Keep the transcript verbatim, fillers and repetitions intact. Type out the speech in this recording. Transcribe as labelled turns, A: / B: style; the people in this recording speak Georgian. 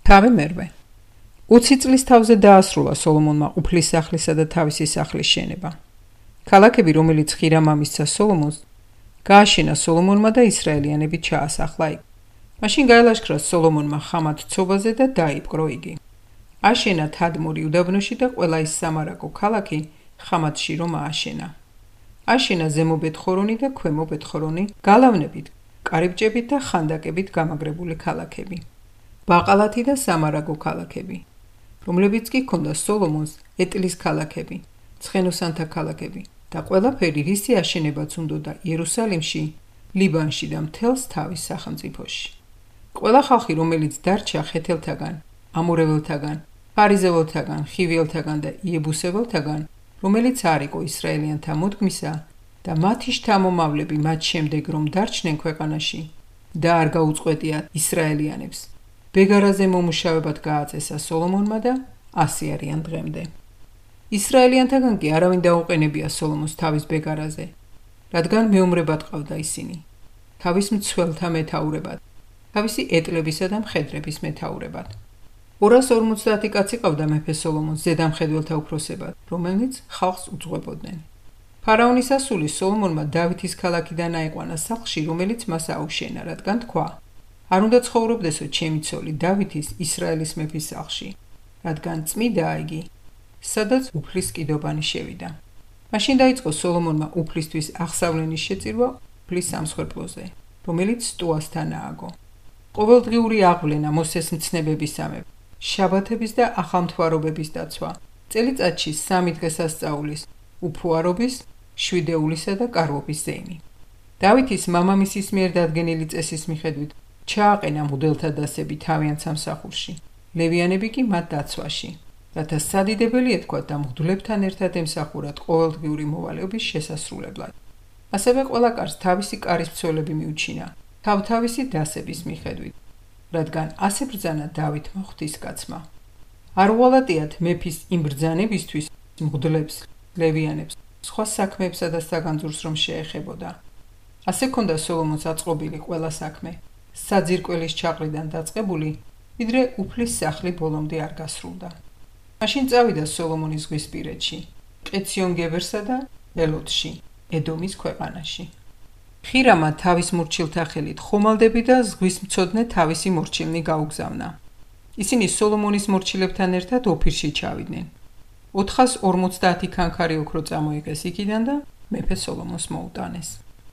A: თავი მერვე. ოცი წლის თავზე დაასრულა სოლომონმა უფლის სახლისა და თავისი სახლის შენება. ქალაქები, რომელიც ხირამ ამისცა სოლომონს, გააშენა სოლომონმა და ისრაელიანები ჩაასახლა იქ. მაშინ გაელაშქრა სოლომონმა ხამათ ცობაზე და დაიპყრო იგი. აშენა თადმორი უდაბნოში და ყველა ის სამარაგო ქალაქი ხამათში რომ ააშენა. აშენა ზემო ბეთხორონი და ქვემო ბეთხორონი გალავნებით, კარიბჭებით და ხანდაკებით გამაგრებული ქალაქები. ბაყალათი და სამარაგო ქალაქები, რომლებიც კი ჰქონდა სოლომონს ეტლის ქალაქები, ცხენოსანთა ქალაქები და ყველაფერი, რისი აშენებაც უნდოდა იერუსალიმში, ლიბანში და მთელს თავის სახელმწიფოში. ყველა ხალხი, რომელიც დარჩა ხეთელთაგან, ამორეველთაგან, ფარიზეველთაგან, ხივიელთაგან და იებუსეველთაგან, რომელიც არ იყო ისრაელიანთა მოდგმისა და მათი შთამომავლები მათ შემდეგ რომ დარჩნენ ქვეყანაში და არ გაუწყვეტიათ ისრაელიანებს, ბეგარაზე მომუშავებად გააწესა სოლომონმა და ასი არიან დღემდე. ისრაელიანთაგან კი არავინ დაუყენებია სოლომონს თავის ბეგარაზე, რადგან მეომრებად ყავდა ისინი, თავის მცველთა მეთაურებად, თავისი ეტლებისა და მხედრების მეთაურებად. ორას ორმოცდაათი კაცი ყავდა მეფე სოლომონს ზედამხედველთა უფროსებად, რომელნიც ხალხს უძღვებოდნენ. ფარაონის ასული სოლომონმა დავითის ქალაქიდან აიყვანა სახლში, რომელიც მას აუშენა, რადგან თქვა: არ უნდა ცხოვრობდესო ჩემი ცოლი დავითის ისრაელის მეფის სახლში, რადგან წმიდაა იგი, სადაც უფლის კიდობანი შევიდა. მაშინ დაიწყო სოლომონმა უფლისთვის აღსავლენის შეწირვა უფლის სამსხვერპლოზე, რომელიც სტუასთან ააგო. ყოველდღიური აღვლენა მოსეს მცნებებისამებრ, შაბათების და ახალმთვარობების დაცვა, წელიწადში სამი დღესასწაულის, უფუარობის, შვიდეულისა და კარვობის ზეიმი. დავითის მამამისის მიერ დადგენილი წესის მიხედვით ჩააყენა მღვდელთა დასები თავიანთ სამსახურში, ლევიანები კი მათ დაცვაში, რათა სადიდებელი ეთქვათ და მღვდლებთან ერთად ემსახურათ ყოველდღიური მოვალეობის შესასრულებლად. ასევე ყველა კარს თავისი კარის მცველები მიუჩინა, თავთავისი დასების მიხედვით, რადგან ასე ბრძანა დავითმა ღვთისკაცმა. არ უღალატიათ მეფის იმ ბრძანებისთვის მღვდლებს, ლევიანებს, სხვა საქმეებსა და საგანძურს რომ შეეხებოდა. ასე ქონდა სოლომონს აწყობილი ყველა საქმე, საძირკველის ჩაყრიდან დაწყებული, ვიდრე უფლის სახლი ბოლომდე არ გასრულდა. მაშინ წავიდა სოლომონი ზღვისპირეთში, ყეციონ-გებერსა და ელოთში, ედომის ქვეყანაში. ხირამა თავის მორჩილთა ხელით ხომალდები და ზღვისმცოდნე თავისი მორჩილნი გაუგზავნა. ისინი სოლომონის მორჩილებთან ერთად ოფირში ჩავიდნენ. ოთხას ორმოცდაათი ქანქარი ოქრო წამოიღეს იქიდან და მეფე სოლომონს მოუტანეს.